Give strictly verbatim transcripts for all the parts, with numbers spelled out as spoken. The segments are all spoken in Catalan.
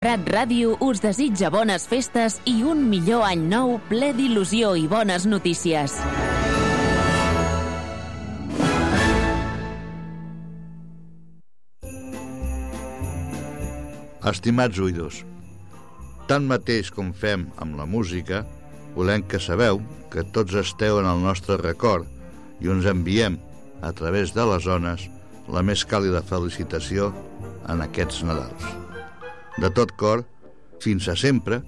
Prat Ràdio us desitja bones festes i un millor any nou ple d'il·lusió i bones notícies. Estimats oïdors, tant mateix com fem amb la música, volem que sabeu que tots esteu en el nostre record i us enviem, a través de les ones, la més càlida felicitació en aquests Nadals. De tot cor, fins a sempre,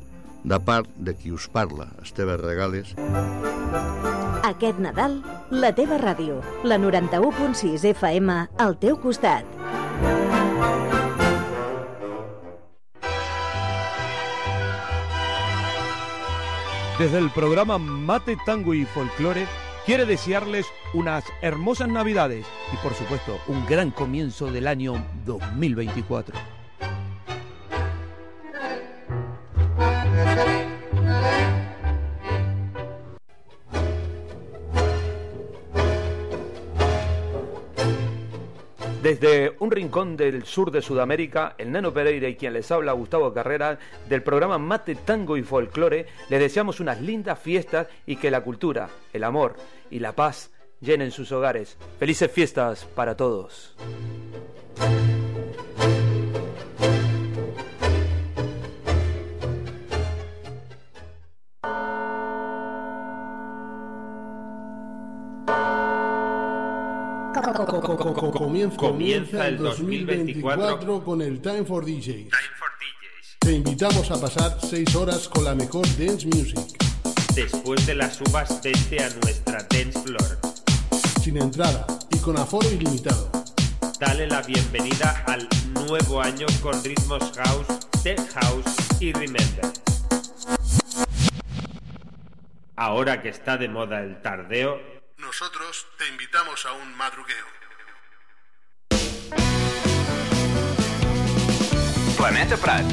de part de qui us parla, Esteve Regales. Aquest Nadal, la teva ràdio, la noranta-u punt sis F M, al teu costat. Desde el programa Mate, Tango y Folclore, quiere desearles unas hermosas Navidades y, por supuesto, un gran comienzo del año dos mil veinticuatro. Desde un rincón del sur de Sudamérica, el Nano Pereira y quien les habla, Gustavo Carrera, del programa Mate, Tango y Folclore, les deseamos unas lindas fiestas y que la cultura, el amor y la paz llenen sus hogares. ¡Felices fiestas para todos! Comienza, comienza el dos mil veinticuatro con el Time for D Js. Time for D Js. Te invitamos a pasar seis horas con la mejor dance music. Después de las uvas, vente a nuestra dance floor. Sin entrada y con aforo ilimitado. Dale la bienvenida al nuevo año con ritmos house, tech house y remember. Ahora que está de moda el tardeo, nosotros te invitamos a un madrugueo. Planeta Prat.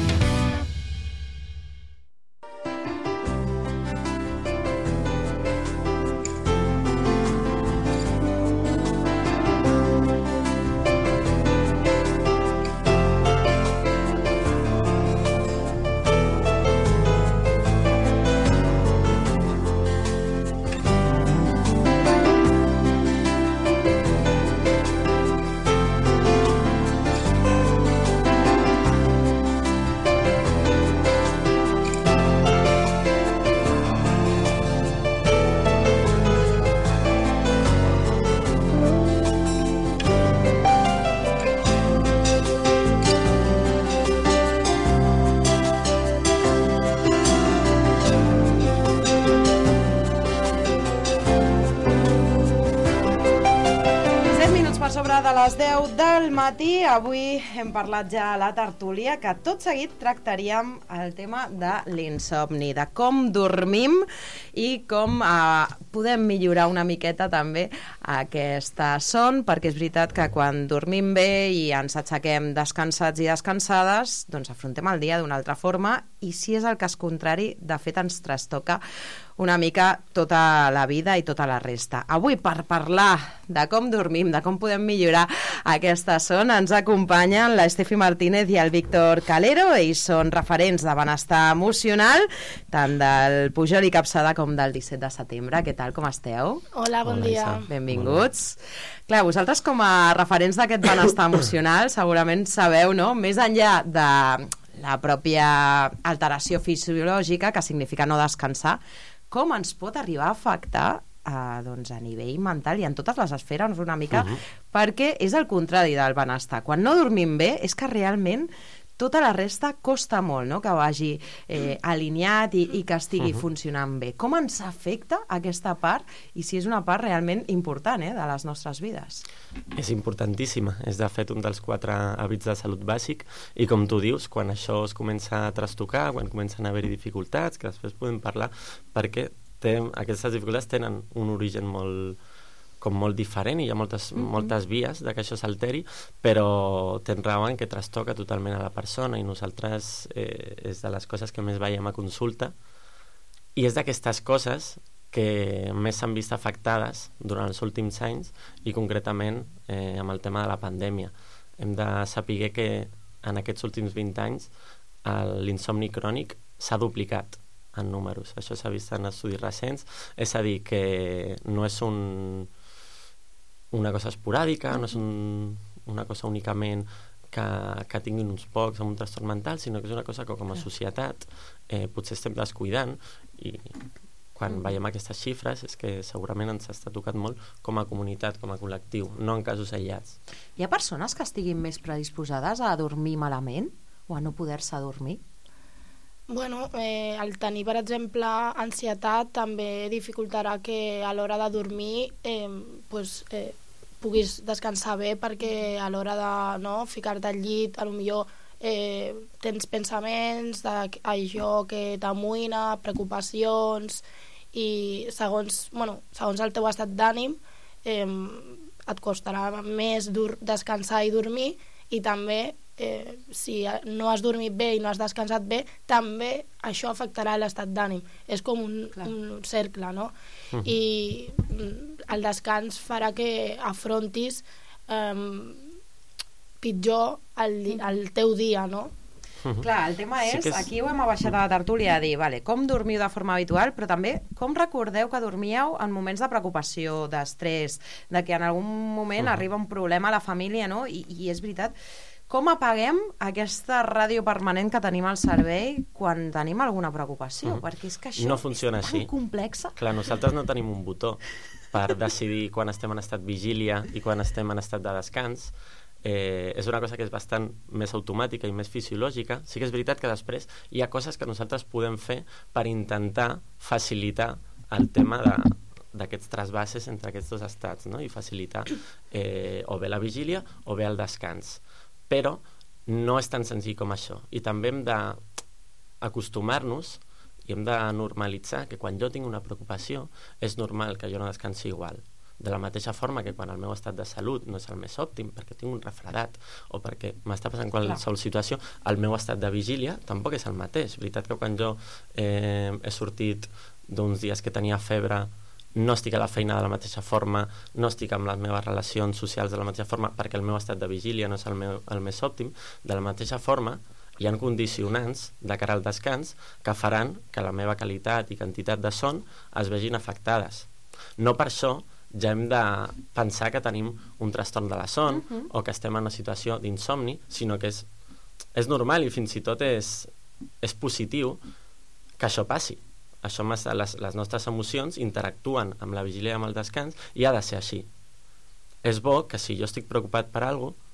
De les deu del matí, avui hem parlat ja a la tertúlia que tot seguit tractaríem el tema de l'insomni, de com dormim i com eh, podem millorar una miqueta també aquesta son, perquè és veritat que quan dormim bé i ens aixequem descansats i descansades, doncs afrontem el dia d'una altra forma i si és el cas contrari, de fet ens trastoca una mica tota la vida i tota la resta. Avui, per parlar de com dormim, de com podem millorar aquesta son, ens acompanyen l'Estefi Martínez i el Víctor Calero. Ells són referents de benestar emocional, tant del Pujol i Capçada com del disset de setembre. Què tal, com esteu? Hola, bon Hola, dia. Benvinguts. Clar, vosaltres com a referents d'aquest benestar emocional segurament sabeu, no?, més enllà de la pròpia alteració fisiològica, que significa no descansar, com ens pot arribar a afectar eh, doncs a nivell mental i en totes les esferes una mica, uh-huh. perquè és el contrari del benestar. Quan no dormim bé és que realment tota la resta costa molt, no?, que vagi eh, alineat i, i que estigui uh-huh. funcionant bé. Com ens afecta aquesta part i si és una part realment important eh, de les nostres vides? És importantíssima. És, de fet, un dels quatre hàbits de salut bàsic i, com tu dius, quan això es comença a trastocar, quan comencen a haver-hi dificultats, que després podem parlar, perquè té, aquestes dificultats tenen un origen molt com molt diferent i hi ha moltes, mm-hmm. moltes vies de que això s'alteri, però tens raó en que trastoca totalment a la persona i nosaltres eh, és de les coses que més veiem a consulta i és d'aquestes coses que més s'han vist afectades durant els últims anys i concretament eh, amb el tema de la pandèmia. Hem de saber que en aquests últims vint anys l'insomni crònic s'ha duplicat en números. Això s'ha vist en estudis recents. És a dir, que no és un, una cosa esporàdica, no és un, una cosa únicament que, que tinguin uns pocs amb un trastorn mental, sinó que és una cosa que com a societat eh, potser estem descuidant, i quan mm. veiem aquestes xifres és que segurament ens està tocat molt com a comunitat, com a col·lectiu, no en casos aïllats. Hi ha persones que estiguin més predisposades a dormir malament o a no poder-se dormir? Bueno, eh, el tenir, per exemple, ansietat també dificultarà que a l'hora de dormir eh, pues, eh, puguis descansar bé, perquè a l'hora de no, ficar-te al llit, potser eh, tens pensaments d'allò que t'amoïna, preocupacions, i segons, bueno, segons el teu estat d'ànim eh, et costarà més dur descansar i dormir, i també eh, si no has dormit bé i no has descansat bé, també això afectarà l'estat d'ànim. És com un, un cercle, no? Uh-huh. I el descans farà que afrontis eh, pitjor el, el teu dia, no? Uh-huh. Clar, el tema és, sí és, aquí ho hem abaixat a la tertúlia a dir, vale, com dormiu de forma habitual, però també com recordeu que dormíeu en moments de preocupació, d'estrès, de que en algun moment uh-huh. arriba un problema a la família, no? I, i és veritat, com apaguem aquesta ràdio permanent que tenim al cervell quan tenim alguna preocupació? Uh-huh. Perquè és que això no funciona és tan així. complexa. Clar, nosaltres no tenim un botó per decidir quan estem en estat vigília i quan estem en estat de descans. Eh, és una cosa que és bastant més automàtica i més fisiològica. Sí que és veritat que després hi ha coses que nosaltres podem fer per intentar facilitar el tema de, d'aquests trasbases entre aquests dos estats, no? I facilitar eh, o bé la vigília o bé el descans. Però no és tan senzill com això. I també hem d'acostumar-nos i hem de normalitzar que quan jo tinc una preocupació és normal que jo no descansi igual. De la mateixa forma que quan el meu estat de salut no és el més òptim, perquè tinc un refredat o perquè m'està passant qualsevol situació, el meu estat de vigília tampoc és el mateix. Veritat que quan jo eh, he sortit d'uns dies que tenia febre, no estic a la feina de la mateixa forma, no estic amb les meves relacions socials de la mateixa forma, perquè el meu estat de vigília no és el, meu, el més òptim. De la mateixa forma, hi ha condicionants de cara al descans que faran que la meva qualitat i quantitat de son es vegin afectades. No per això ja hem de pensar que tenim un trastorn de la son uh-huh. o que estem en una situació d'insomni, sinó que és, és normal i fins i tot és, és positiu que això passi. Això, les, les nostres emocions interactuen amb la vigília i amb el descans, i ha de ser així. És bo que si jo estic preocupat per alguna cosa,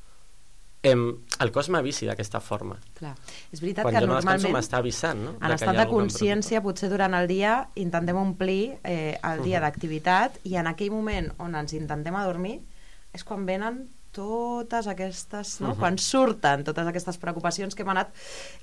em, el cos m'avisi d'aquesta forma. Clar. És veritat quan que jo no normalment descanso m'està avisant, no? en estat de consciència potser durant el dia intentem omplir eh, el dia uh-huh. d'activitat, i en aquell moment on ens intentem adormir és quan venen totes aquestes, no? Uh-huh. Quan surten totes aquestes preocupacions que hem anat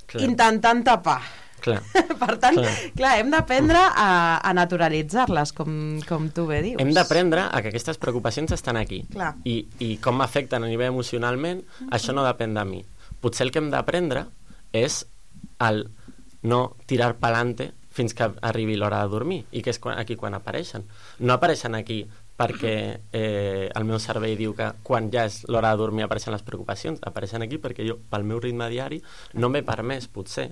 clar. intentant tapar. Clar. Per tant, clar. clar, hem d'aprendre a, a naturalitzar-les, com, com tu bé dius. Hem d'aprendre a que aquestes preocupacions estan aquí. Clar. I, i com m'afecten a nivell emocionalment, mm-hmm. això no depèn de mi. Potser el que hem d'aprendre és el no tirar pa'lante fins que arribi l'hora de dormir, i que és quan, aquí quan apareixen. No apareixen aquí perquè eh, el meu cervell diu que quan ja és l'hora de dormir apareixen les preocupacions. Apareixen aquí perquè jo, pel meu ritme diari, no m'he permès, potser,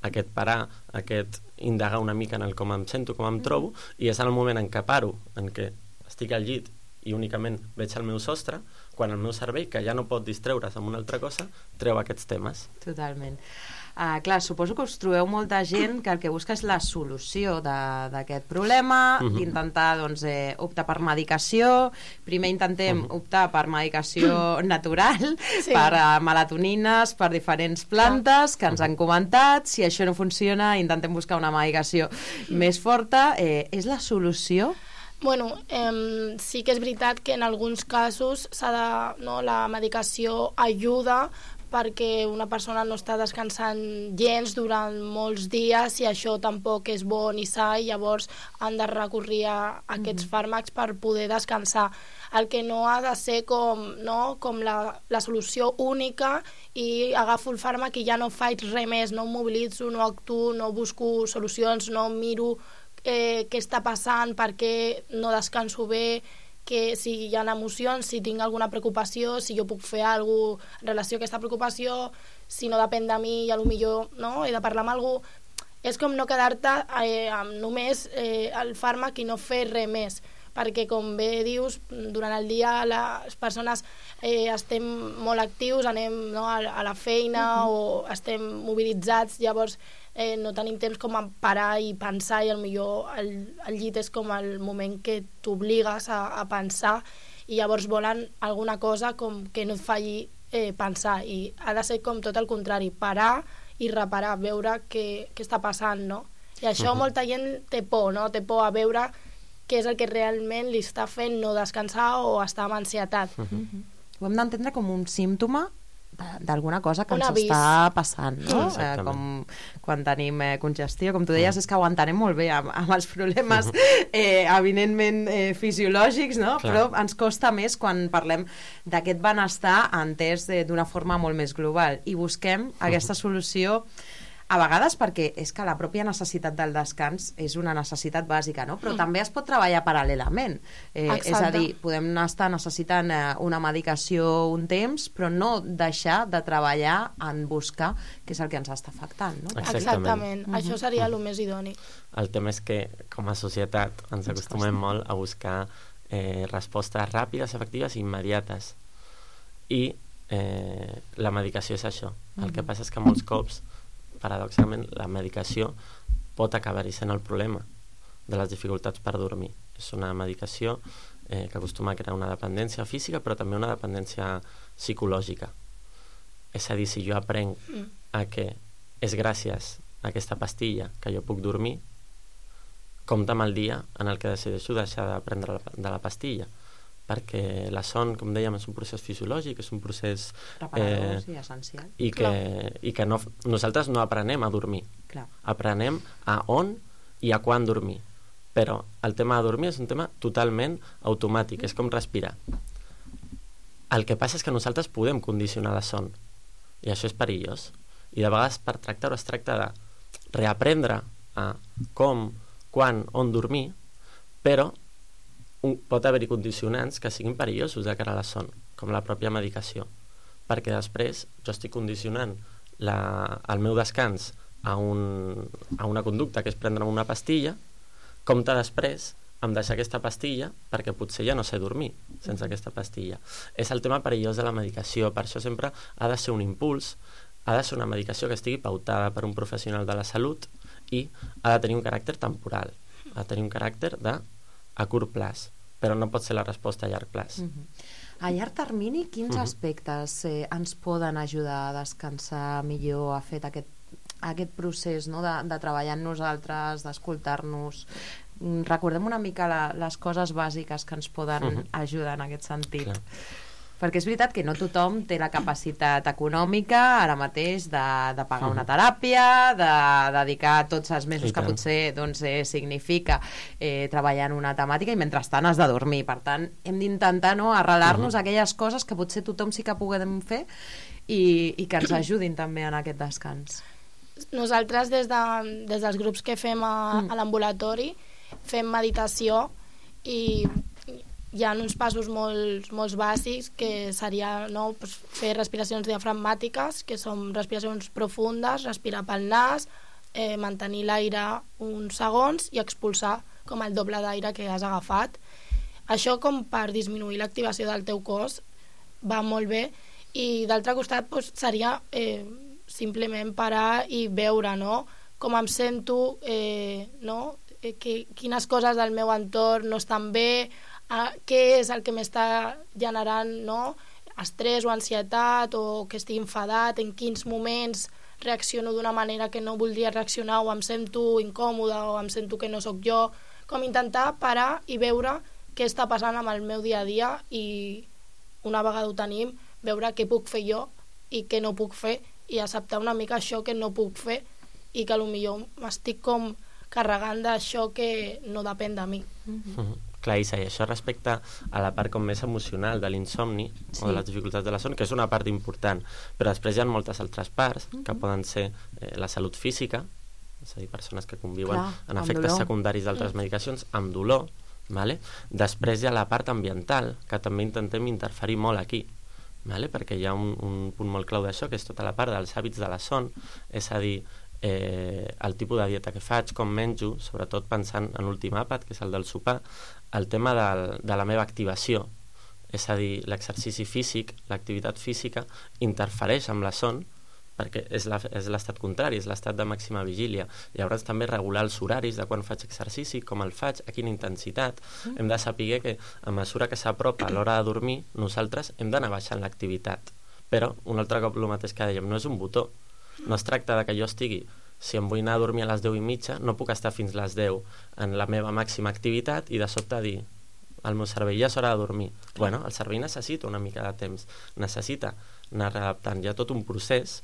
aquest parar, aquest indagar una mica en el com em sento, com em trobo, i és el moment en què paro, en què estic al llit i únicament veig el meu sostre, quan el meu cervell, que ja no pot distreure's amb una altra cosa, treu aquests temes. Totalment. Uh, clar, suposo que us trobeu molta gent que el que busca és la solució d'aquest problema, uh-huh. intentar doncs, eh, optar per medicació. Primer intentem uh-huh. optar per medicació natural, sí. per uh, melatonines, per diferents plantes que ens han comentat. Si això no funciona, intentem buscar una medicació més forta. Eh, és la solució? Bueno, eh, sí que és veritat que en alguns casos s'ha de, no, la medicació ajuda perquè una persona no està descansant gens durant molts dies, i això tampoc és bo ni sa, i llavors han de recórrer a aquests fàrmacs per poder descansar. El que no ha de ser com, no, com la, la solució única, i agafo el fàrmac i ja no faig res més, no em mobilitzo, no actuo, no busco solucions, no miro eh, què està passant, per què no descanso bé, que si hi ha emocions, si tinc alguna preocupació, si jo puc fer alguna cosa en relació a aquesta preocupació, si no depèn de mi i potser no, he de parlar amb algú. És com no quedar-te eh, amb només eh, el fàrmac i no fer res més, perquè com bé dius, durant el dia les persones eh, estem molt actius, anem no, a, a la feina uh-huh. o estem mobilitzats, llavors eh, no tenim temps com a parar i pensar, i potser el, el llit és com el moment que t'obligues a, a pensar, i llavors volen alguna cosa com que no et falli eh, pensar, i ha de ser com tot el contrari, parar i reparar, veure què, què està passant, no? I això uh-huh. molta gent té por, no? Té por a veure què és el que realment li està fent no descansar o estar amb ansietat. Uh-huh. Ho hem d'entendre com un símptoma d'alguna cosa que un ens avís. està passant, no? Mm. Eh, com quan tenim eh, congestió, com tu deies, mm. és que ho entenem molt bé amb, amb els problemes eh, evidentment eh, fisiològics, no? Clar. Però ens costa més quan parlem d'aquest benestar entès eh, d'una forma molt més global, i busquem aquesta solució a vegades perquè és que la pròpia necessitat del descans és una necessitat bàsica, no? Però mm. també es pot treballar paral·lelament. Eh, és a dir, podem estar necessitant eh, una medicació un temps, però no deixar de treballar en buscar què és el que ens està afectant, no? Exactament. Exactament. Mm-hmm. Això seria el més idoni. El tema és que, com a societat, ens acostumem molt a buscar eh, respostes ràpides, efectives i immediates. I eh, la medicació és això. Mm-hmm. El que passa és que molts cops paradoxalment, la medicació pot acabar-hi sent el problema de les dificultats per dormir. És una medicació eh, que acostuma a crear una dependència física, però també una dependència psicològica. És a dir, si jo aprenc mm. a que és gràcies a aquesta pastilla que jo puc dormir, compta amb el dia en el que decideixo deixar de prendre la, de la pastilla, perquè la son, com dèiem, és un procés fisiològic, és un procés reparador, eh, sí, essencial, i que, i que no, nosaltres no aprenem a dormir. Clar. Aprenem a on i a quan dormir, però el tema de dormir és un tema totalment automàtic, és com respirar. El que passa és que nosaltres podem condicionar la son, i això és perillós, i de vegades per tractar-ho es tracta de reaprendre a com, quan, on dormir, però Un, pot haver-hi condicionants que siguin perillosos de cara a la son, com la pròpia medicació, perquè després jo estic condicionant la, el meu descans a, un, a una conducta que és prendre'm una pastilla, compte després em deixar aquesta pastilla perquè potser ja no sé dormir sense aquesta pastilla. És el tema perillós de la medicació, per això sempre ha de ser un impuls, ha de ser una medicació que estigui pautada per un professional de la salut i ha de tenir un caràcter temporal, ha de tenir un caràcter de a curt plaç, però no pot ser la resposta a llarg plaç. Uh-huh. A llarg termini, quins uh-huh. aspectes eh, ens poden ajudar a descansar millor, a fer aquest, aquest procés, no? de, de treballar en nosaltres, d'escoltar-nos? Recordem una mica la, les coses bàsiques que ens poden uh-huh. ajudar en aquest sentit. Clar. Perquè és veritat que no tothom té la capacitat econòmica ara mateix de, de pagar una teràpia, de dedicar tots els mesos que potser doncs, eh, significa eh, treballar en una temàtica, i mentrestant has de dormir. Per tant, hem d'intentar no, arrelar-nos uh-huh. aquelles coses que potser tothom sí que puguem fer i, i que ens ajudin també en aquest descans. Nosaltres des, de, des dels grups que fem a, mm. a l'ambulatori fem meditació, i hi ha uns passos molt, molt bàsics que seria no, pues, fer respiracions diafragmàtiques, que són respiracions profundes, respirar pel nas, eh, mantenir l'aire uns segons i expulsar com el doble d'aire que has agafat. Això com per disminuir l'activació del teu cos va molt bé, i d'altre costat pues, seria eh, simplement parar i veure no, com em sento, eh, no, eh, que, quines coses del meu entorn no estan bé, a què és el que m'està generant no? estrès o ansietat, o que estic enfadat, en quins moments reacciono d'una manera que no voldria reaccionar, o em sento incòmoda, o em sento que no sóc jo. Com intentar parar i veure què està passant amb el meu dia a dia, i una vegada ho tenim, veure què puc fer jo i què no puc fer, i acceptar una mica això que no puc fer, i que potser m'estic com carregant d'això que no depèn de mi. Mm-hmm. Clar, Isa, i això respecte a la part com més emocional de l'insomni, sí, o de les dificultats de la son, que és una part important, però després hi ha moltes altres parts, mm-hmm, que poden ser eh, la salut física, és a dir, persones que conviuen Clar, amb efectes dolor. secundaris d'altres mm. medicacions, amb dolor, Vale? Després hi ha la part ambiental, que també intentem interferir molt aquí, vale? Perquè hi ha un, un punt molt clau d'això, que és tota la part dels hàbits de la son, és a dir, eh, el tipus de dieta que faig, com menjo, sobretot pensant en l'últim àpat, que és el del sopar, el tema del, de la meva activació, és a dir, l'exercici físic, l'activitat física, interfereix amb la son, perquè és l'estat contrari, és l'estat de màxima vigília. Llavors també regular els horaris de quan faig exercici, com el faig, a quina intensitat. Mm. Hem de saber que a mesura que s'apropa l'hora de dormir, nosaltres hem d'anar baixant l'activitat. Però, un altre cop el mateix que dèiem, no és un botó. No es tracta de que jo estigui, si em vull anar a dormir a les deu i mitja, no puc estar fins les deu en la meva màxima activitat i de sobte dir al meu cervell, ja és hora de dormir. Bueno, el cervell necessita una mica de temps, necessita anar readaptant. Hi ha tot un procés,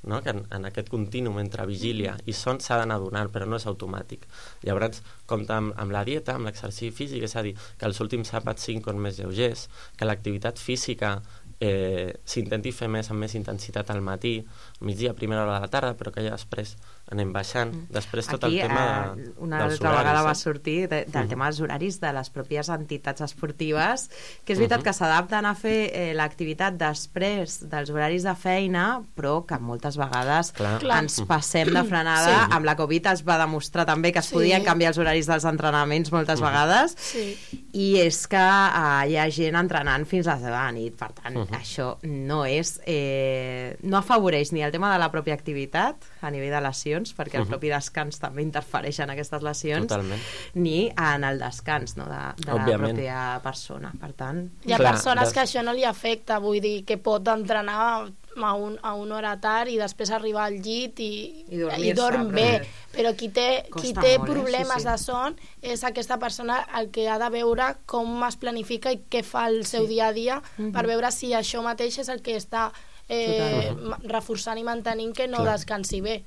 no? Que en, en aquest contínuum entre vigília i son s'ha d'anar donant, però no és automàtic. Llavors, compta amb, amb la dieta, amb l'exercici físic, és a dir, que els últims àpats siguin més lleugers, que l'activitat física eh, s'intenti fer més amb més intensitat al matí, migdia, primera hora de la tarda, però que ja després anem baixant. Després tot aquí, el tema eh, de, una dels altra horaris, vegada va eh? sortir de, del uh-huh. tema dels horaris de les pròpies entitats esportives, que és veritat uh-huh. que s'adapten a fer eh, l'activitat després dels horaris de feina, però que moltes vegades Clar. ens passem de frenada. Sí. Amb la Covid es va demostrar també que es Sí. podien canviar els horaris dels entrenaments moltes uh-huh. vegades, Sí. i és que eh, hi ha gent entrenant fins a les deu de la nit. Per tant, uh-huh. això no és eh, no afavoreix ni el tema de la pròpia activitat a nivell de lesions, perquè uh-huh. el propi descans també interfereix en aquestes lesions. Totalment. Ni en el descans, no, de, de la Òbviament. pròpia persona. Per tant, Hi ha Clar, persones des- que això no li afecta, vull dir, que pot entrenar a, un, a una hora tard i després arribar al llit i, I dormir-se, i dorm però- bé, però qui té, qui Costa té molt, eh? problemes Sí, sí. de son és aquesta persona el que ha de veure com es planifica i què fa el seu Sí. dia a dia Mhm. per veure si això mateix és el que està eh, Totalment. ma- reforçant i mantenint que no Clar. descansi bé.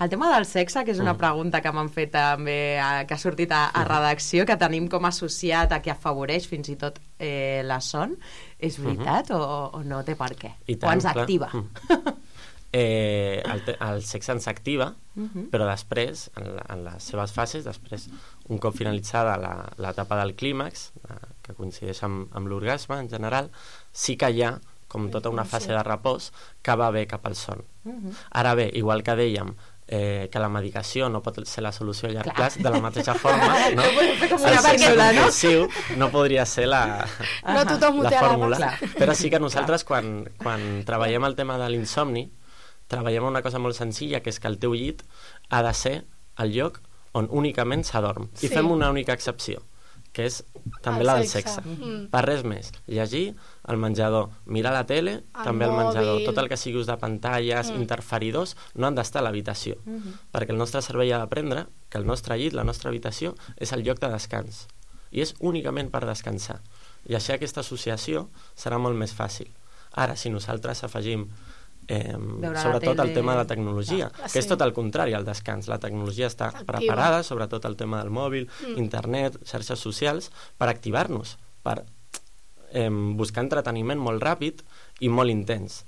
el tema del sexe, que és una Mm. pregunta que m'han fet també, eh, que ha sortit a, a redacció, que tenim com associat a que afavoreix fins i tot eh, la son, és veritat o, o no té per què? I O tant, ens clar. activa? Mm. Eh, el, te- el sexe ens activa, Mhm. però després, en, la, en les seves fases, després, un cop finalitzada la- l'etapa del clímax, eh, que coincideix amb, amb l'orgasme en general, sí que hi ha com tota una fase de repòs que va bé cap al son. Mhm. Ara bé, igual que dèiem eh, que la medicació no pot ser la solució a llarg Clar. plaç, de la mateixa forma, no? com el una sexe pèndula, no? compulsiu no podria ser la, No tothom ho la té a la fórmula, mà. però sí que nosaltres quan, quan treballem el tema de l'insomni treballem una cosa molt senzilla, que és que el teu llit ha de ser el lloc on únicament s'adorm, i Sí. fem una única excepció, que és també El la del sexe. sexe. Mm. Per res més. Llegir al menjador, mirar la tele, El també al menjador. mòbil. Tot el que sigui ús de pantalles, Mm. interferidors, no han d'estar a l'habitació. Mhm. Perquè el nostre cervell ha d'aprendre que el nostre llit, la nostra habitació, és el lloc de descans. I és únicament per descansar. I així aquesta associació serà molt més fàcil. Ara, si nosaltres afegim eh, Veure la sobretot tele. el tema de la tecnologia, Clar, que és sí. tot el contrari al descans. La tecnologia està Activa. preparada, sobretot el tema del mòbil, Mm. internet, xarxes socials, per activar-nos, per eh, buscar entreteniment molt ràpid i molt intens.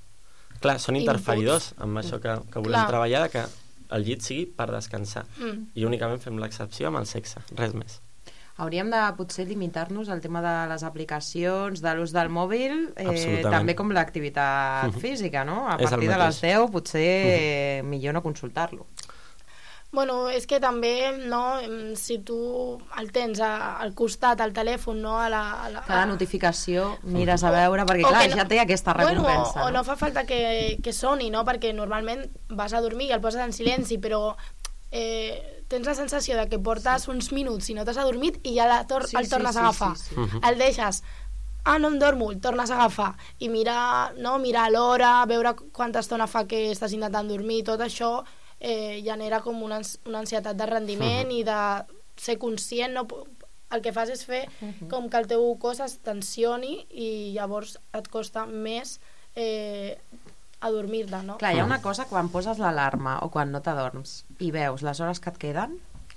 Clar, són Inputs. interferidors amb això que, que volem Clar. treballar, de que el llit sigui per descansar. Mm. I únicament fem l'excepció amb el sexe, res més. Hauríem de potser limitar-nos al tema de les aplicacions, de l'ús del mòbil, eh, Absolutament. també com l'activitat Mhm. física, no? A És el partir de mateix. les deu potser eh, millor no consultar-lo. Bueno, és que també, no, em, si tu el tens a, al costat, al telèfon, no, a la... A la Cada notificació mires a veure, perquè o clar, que no- ja té aquesta recompensa. Bueno, o, o no fa falta que, que soni, no? Perquè normalment vas a dormir i el poses en silenci, però eh, tens la sensació de que portes uns minuts i no t'has adormit i ja la tor Sí, el sí, tornes sí, a agafar. sí, sí. Mhm. El deixes, ah, no em dormo, el tornes a agafar. I mirar, no, mirar l'hora, veure quanta estona fa que estàs intentant dormir, tot això eh, genera com una, ans- una ansietat de rendiment i de ser conscient, no? El que fas és fer com que el teu cos es tensioni i llavors et costa més eh, adormir-te, no? Clar, hi ha una cosa quan poses l'alarma o quan no t'adorms i veus les hores que et queden,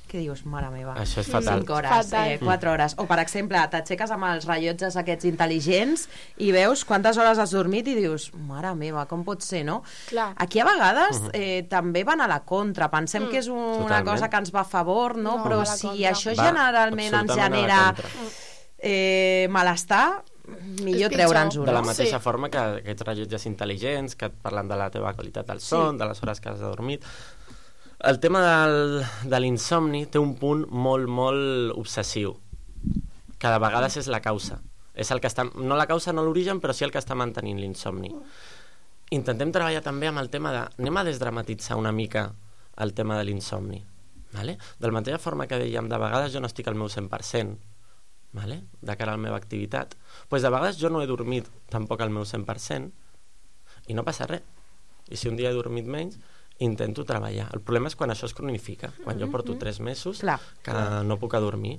que dius, mare meva, això és fatal. cinc hores, eh, quatre hores. O, per exemple, t'aixeques amb els rellotges aquests intel·ligents i veus quantes hores has dormit i dius, mare meva, com pot ser, no? Clar. Aquí a vegades eh, també van a la contra. Pensem mm. que és un, una cosa que ens va a favor, no? no Però si contra. Això va, generalment ens genera eh, malestar, millor treure'ns-ho. De la mateixa sí. forma que aquests rellotges intel·ligents que et parlen de la teva qualitat del son, sí. de les hores que has dormit. El tema del, de l'insomni té un punt molt, molt obsessiu, que de vegades és la causa. És el que està, no la causa, no l'origen, però sí el que està mantenint l'insomni. Intentem treballar també amb el tema de... Anem a desdramatitzar una mica el tema de l'insomni. Vale? De la mateixa forma que dèiem, de vegades jo no estic al meu cent per cent, vale? De cara a la meva activitat, pues de vegades jo no he dormit tampoc al meu cent per cent i no passa res. I si un dia he dormit menys, intento treballar. El problema és quan això es cronifica, quan jo porto tres mesos Clar. que no puc dormir.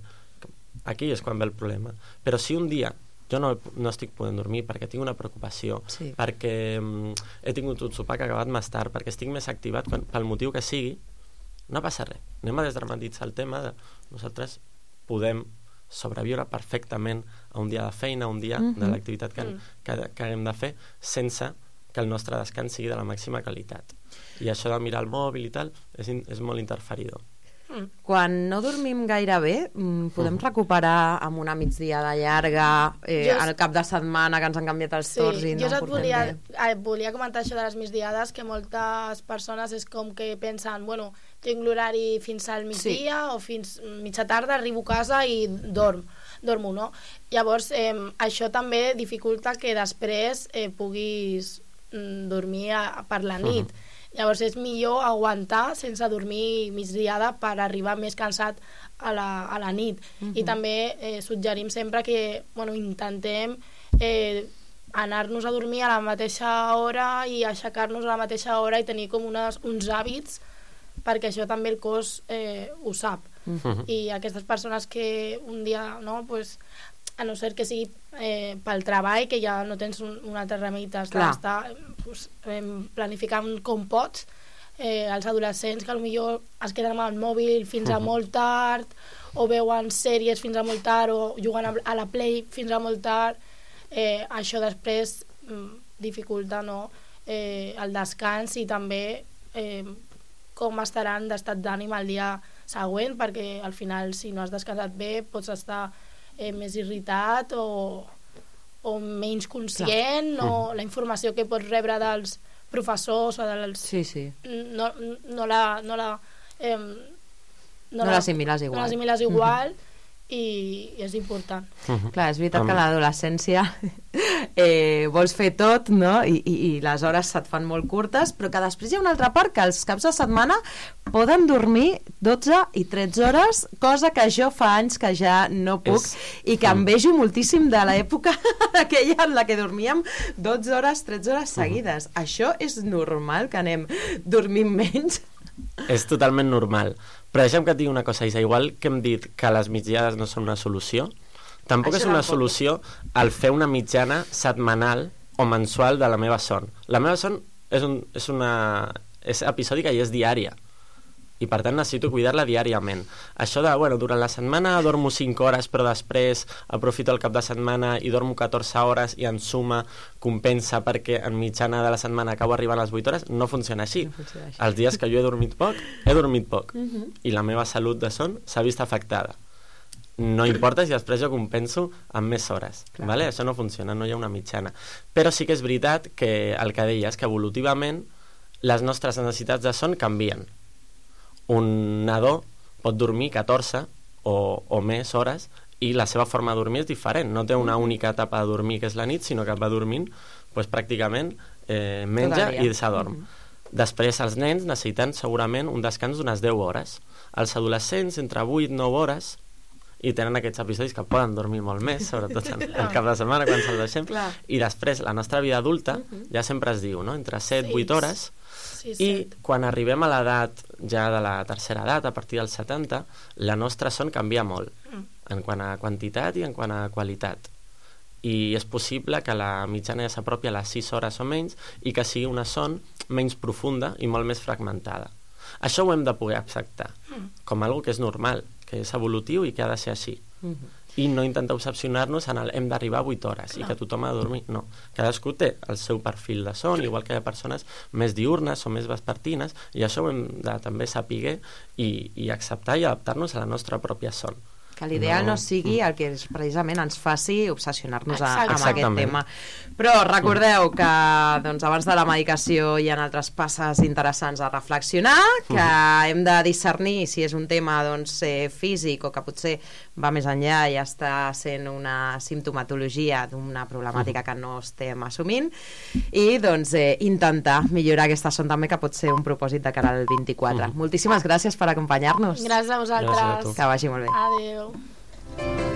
Aquí és quan ve el problema. Però si un dia jo no, no estic podent dormir perquè tinc una preocupació, sí. perquè um, he tingut un sopar que ha acabat més tard, perquè estic més activat quan, pel motiu que sigui, no passa res. Anem a desdramatitzar el tema de nosaltres podem sobreviure perfectament a un dia de feina, a un dia mm-hmm. de l'activitat que, que, que haguem de fer, sense que el nostre descans sigui de la màxima qualitat. I això de mirar el mòbil i tal és, in, és molt interferidor. Quan no dormim gaire bé, podem uh-huh. recuperar amb una migdia de llarga eh, jo... al cap de setmana que ens han canviat els sí, torns i no jo et volia, eh, volia comentar això de les migdiades, que moltes persones és com que pensen, bueno, tinc l'horari fins al migdia sí. o fins mitja tarda, arribo a casa i dorm dormo, no? Llavors eh, això també dificulta que després eh, puguis mm, dormir a, per la nit. Uh-huh. Llavors és millor aguantar sense dormir migdiada per arribar més cansat a la, a la nit. Uh-huh. I també eh, suggerim sempre que bueno, intentem eh, anar-nos a dormir a la mateixa hora i aixecar-nos a la mateixa hora i tenir com unes, uns hàbits, perquè això també el cos eh, ho sap. Uh-huh. I aquestes persones que un dia, no, pues, a no ser que sigui eh, pel treball, que ja no tens un, un altre remei, t'has d'estar pues, eh, planificant com pots, eh, els adolescents que potser es queden amb el mòbil fins a molt tard, o veuen sèries fins a molt tard, o juguen a la Play fins a molt tard, eh, això després mm, dificulta, no, eh, el descans i també eh, com estaran d'estat d'ànim el dia següent, perquè al final si no has descansat bé pots estar Eh, més irritat o, o menys conscient, Clar. o la informació que pots rebre dels professors o dels... Sí, sí. No, no la... No la eh, no, no l'assimiles igual. No l'assimiles igual mm-hmm. i, i és important. Mm-hmm. Clar, és veritat que a l'adolescència eh, vols fer tot, no? I, i, i les hores se't fan molt curtes, però que després hi ha una altra part que els caps de setmana poden dormir dotze i tretze hores, cosa que jo fa anys que ja no puc és... i que envejo moltíssim de l'època aquella en la que dormíem dotze hores, tretze hores seguides. Mm. Això és normal, que anem dormint menys? És totalment normal. Però deixa'm que et digui una cosa, Isa, igual que hem dit que les migdiades no són una solució, tampoc Això és una solució el fer una mitjana setmanal o mensual de la meva son. La meva son és, un, és, una, és episòdica i és diària. I per tant necessito cuidar-la diàriament. Això de, bueno, durant la setmana dormo cinc hores, però després aprofito el cap de setmana i dormo catorze hores i en suma compensa perquè en mitjana de la setmana acabo arribant a les vuit hores, no funciona així. No funciona així. Els dies que jo he dormit poc, he dormit poc. Uh-huh. I la meva salut de son s'ha vist afectada. No importa si després jo compenso amb més hores. Vale? Això no funciona, no hi ha una mitjana. Però sí que és veritat que el que deies, que evolutivament les nostres necessitats de son canvien. Un nadó pot dormir catorze o, o més hores i la seva forma de dormir és diferent. No té una única etapa de dormir que és la nit, sinó que va dormint pues, pràcticament eh, menja i s'adorm. Mm-hmm. Després els nens necessiten segurament un descans d'unes deu hores. Els adolescents entre vuit i nou hores i tenen aquests episodis que poden dormir molt més, sobretot en el cap de setmana quan se'l deixem. Clar. I després la nostra vida adulta uh-huh. ja sempre es diu, no? Entre set i vuit hores. Sí, i quan arribem a l'edat ja de la tercera edat, a partir dels setanta, la nostra son canvia molt mm. en quant a quantitat i en quant a qualitat, i és possible que la mitjana ja s'apropi a les sis hores o menys i que sigui una son menys profunda i molt més fragmentada. Això ho hem de poder acceptar. com algo que és normal, que és evolutiu i que ha de ser així. Mm-hmm. I no intentar obsessionar-nos en el hem d'arribar a vuit hores Clar. I que tothom ha de dormir. No, cadascú té el seu perfil de son, igual que hi ha persones més diurnes o més vespertines, i això ho hem de també saber i, i acceptar i adaptar-nos a la nostra pròpia son. Que l'ideal no. no sigui el que precisament ens faci obsessionar-nos a, amb aquest tema. Però recordeu que doncs, abans de la medicació hi ha altres passes interessants a reflexionar, que hem de discernir si és un tema doncs, eh, físic o que potser va més enllà i està sent una simptomatologia d'una problemàtica que no estem assumint, i doncs, eh, intentar millorar aquesta son també, que pot ser un propòsit de cara al vint-i-quatre. Mm. Moltíssimes gràcies per acompanyar-nos. Gràcies a vosaltres. Gràcies a tu. Que vagi molt bé. Adéu.